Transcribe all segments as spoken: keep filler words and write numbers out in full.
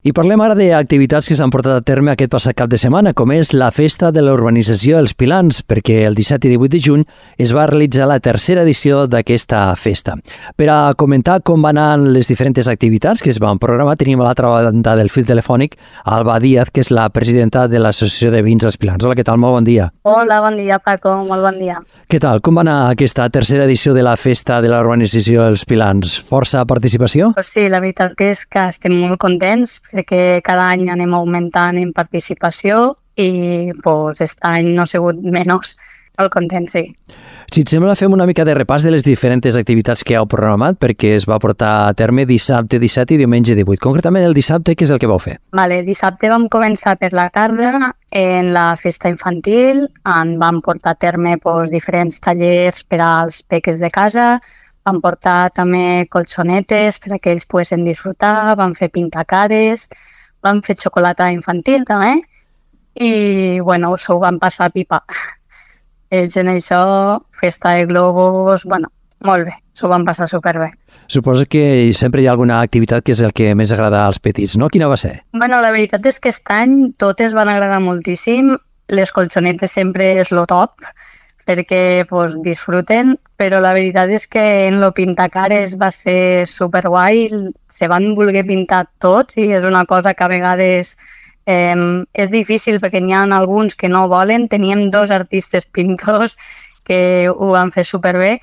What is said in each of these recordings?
I parlem ara d'activitats que s'han portat a terme aquest passat cap de setmana, com és la Festa de la Urbanització Els Pilans, perquè el disset i divuit de juny es va realitzar la tercera edició d'aquesta festa. Per a comentar com van anar les diferents activitats que es van programar, tenim a l'altra banda del fil telefònic Alba Díaz, que és la presidenta de l'Associació de Veïns Els Pilans. Hola, què tal? Molt bon dia. Hola, bon dia, Paco. Molt bon dia. Què tal? Com va anar aquesta tercera edició de la Festa de la Urbanització Els Pilans? Força participació? Pues sí, la veritat que és que estem molt contents perquè cada any anem augmentant en participació i pues, aquest any no ha sigut menys. Molt contents, sí. Si et sembla, fem una mica de repàs de les diferents activitats que heu programat perquè es va portar a terme dissabte disset i diumenge divuit. Concretament el dissabte, què és el que vau fer? Vale, dissabte vam començar per la tarda en la festa infantil, en vam portar a terme pues, diferents tallers per als peques de casa, vam portar també colxonetes per a que ells poguessin disfrutar, vam fer pintacares, vam fer xocolata infantil també i bueno, s'ho vam passar pipa. Ells en això, festa de globus, bueno, molt bé, s'ho van passar superbé. Suposo que sempre hi ha alguna activitat que és el que més agrada als petits, no? Quina va ser? Bueno, la veritat és que aquest any totes van agradar moltíssim, les colxonetes sempre és lo top, perquè pues, disfruten, però la veritat és que en lo pintacares va ser superguai, se van voler pintar tots i és una cosa que a vegades eh, és difícil perquè n'hi ha alguns que no volen. Teníem dos artistes pintors que ho van fer superbé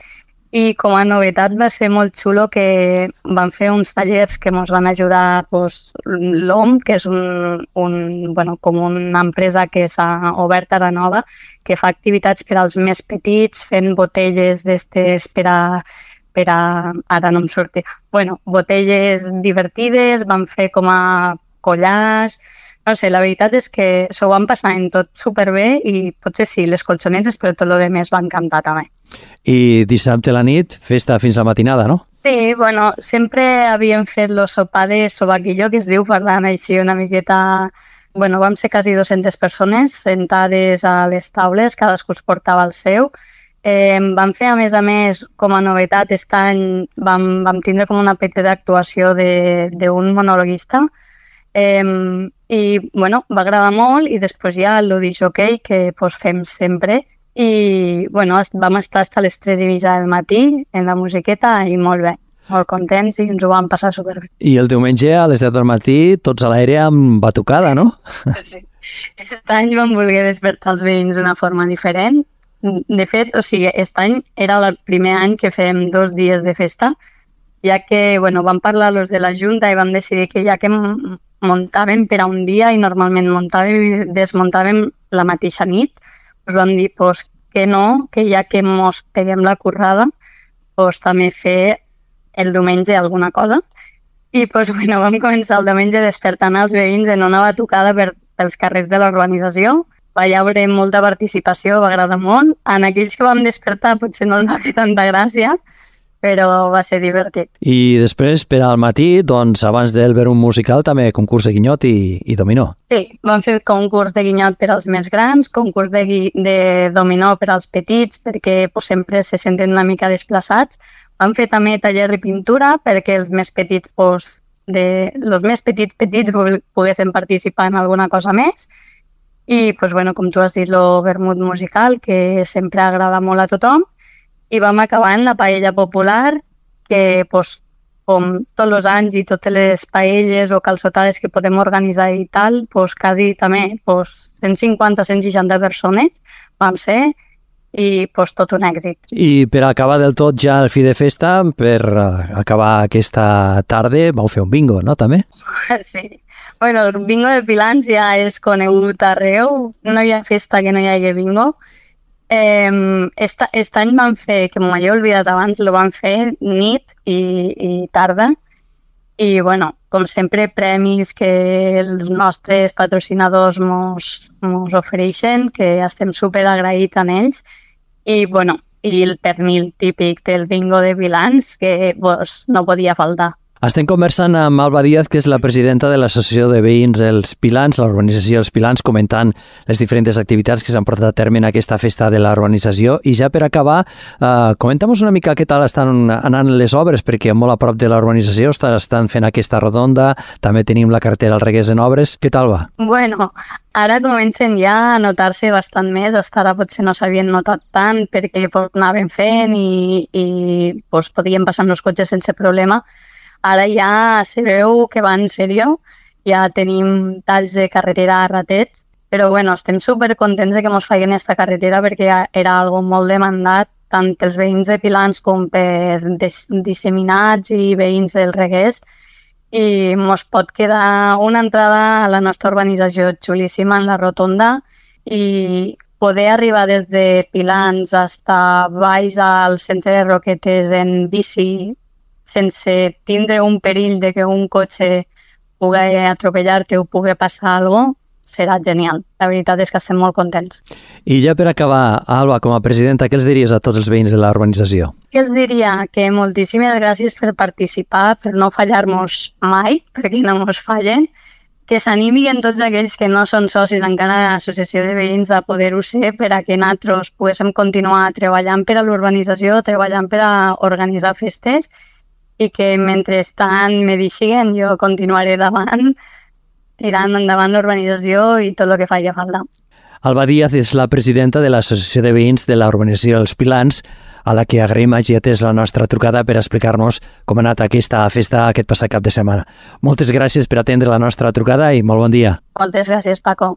i com a novetat va ser molt xulo que van fer uns tallers que ens van ajudar pues, l'O M, que és un, un, bueno, com una empresa que s'ha obert ara nova, que fa activitats per als més petits, fent botelles d'estes per a, per a... ara no em sortia. Bueno, botelles divertides, van fer com a collars. No sé, la veritat és que s'ho van passar en tot superbé i potser sí, les colxonetes, però tot el que va encantar també. I dissabte a la nit, festa fins a la matinada, no? Sí, bueno, sempre havíem fet el sopar de sobaquillo, que es diu, parlant així una miqueta... Bueno, vam ser quasi dues-centes persones sentades a les taules, cadascú es portava el seu. Eh, vam fer, a més a més, com a novetat, aquest any vam, vam tindre com una petita actuació d'un monologuista eh, i, bueno, va agradar molt i després hi ha el disc-jockey que pues, fem sempre i, bueno, vam estar fins a les tres i mitja del matí en la musiqueta i molt bé. Molt contents i ens ho vam passar superbé. I el diumenge a les deu del matí tots a l'aire amb batucada, no? Sí. Aquest any vam voler despertar els veïns d'una forma diferent. De fet, o sigui, aquest any era el primer any que fem dos dies de festa, ja que, bueno, vam parlar los de la Junta i vam decidir que ja que muntàvem per a un dia i normalment muntàvem i desmuntàvem la mateixa nit, us vam dir pues, que no, que ja que mos peguem la currada, pues, també fer el diumenge alguna cosa. I pues, bueno, vam començar el diumenge despertant els veïns en una batucada per, pels carrers de la urbanització. Va haver molta participació, va agradar molt. En aquells que vam despertar potser no ens va fer tanta gràcia, però va ser divertit. I després, per al matí, doncs, abans del verum musical, també concurs de guinyot i, i dominó. Sí, vam fer concurs de guinyot per als més grans, concurs de, gui de dominó per als petits, perquè pues, sempre se senten una mica desplaçats. Vam fer també taller de pintura perquè els més petits, pues, de, els més petits petits poguessin participar en alguna cosa més. I, pues, bueno, com tu has dit, el vermut musical, que sempre agrada molt a tothom. I vam acabar en la paella popular, que, pues, com tots els anys i totes les paelles o calçotades que podem organitzar i tal, pues, quasi també pues, cent cinquanta a cent seixanta persones vam ser i pues, tot un èxit. I per acabar del tot ja el fi de festa, per acabar aquesta tarda, vau fer un bingo, no, també? Sí. Bueno, el bingo de Pilans ja és conegut arreu, no hi ha festa que no hi hagi bingo. Eh, est, est any vam fer, que m'ho he oblidat abans, lo vam fer nit i, i tarda. I, bueno, com sempre, premis que els nostres patrocinadors mos, mos ofereixen, que estem super agraïts en ells. I, bueno, i el pernil típic del bingo de Pilans, que pues, no podia faltar. Estem conversant amb Alba Díaz, que és la presidenta de l'Associació de Veïns Els Pilans, la urbanització Els Pilans, comentant les diferents activitats que s'han portat a terme en aquesta festa de la urbanització. I ja per acabar, eh, comenta'm-nos una mica què tal estan anant les obres, perquè molt a prop de la urbanització estan fent aquesta rotonda, també tenim la carretera al Regués en obres. Què tal va? Bueno, ara comencen ja a notar-se bastant més, hasta ara potser no s'havien notat tant perquè pues, anaven fent i, i pues, podien passar amb els cotxes sense problema. Ara ja se veu que va en sèrio, ja tenim talls de carretera a ratet, però bueno, estem supercontents de que ens facin aquesta carretera perquè era algo molt demandat tant pels veïns de Pilans com per disseminats i veïns del Regués, i ens pot quedar una entrada a la nostra urbanització xulíssima en la rotonda i poder arribar des de Pilans fins baix al centre de Roquetes en bici sense tindre un perill de que un cotxe pugui atropellar-te o pugui passar alguna cosa, serà genial. La veritat és que estem molt contents. I ja per acabar, Alba, com a presidenta, què els diries a tots els veïns de la urbanització? Què els diria? Que moltíssimes gràcies per participar, per no fallar-nos mai, perquè no ens fallen, que s'animin tots aquells que no són socis encara de l'associació de veïns a poder-ho ser per a que nosaltres poguéssim continuar treballant per a l'urbanització, treballant per a organitzar festes, i que mentrestant me deixin, jo continuaré davant, tirant endavant l'urbanització i tot el que faci falta. Alba Díaz és la presidenta de l'Associació de Veïns de la Urbanització dels Pilans, a la que agraïm hagi atès la nostra trucada per explicar-nos com ha anat aquesta festa aquest passat cap de setmana. Moltes gràcies per atendre la nostra trucada i molt bon dia. Moltes gràcies, Paco.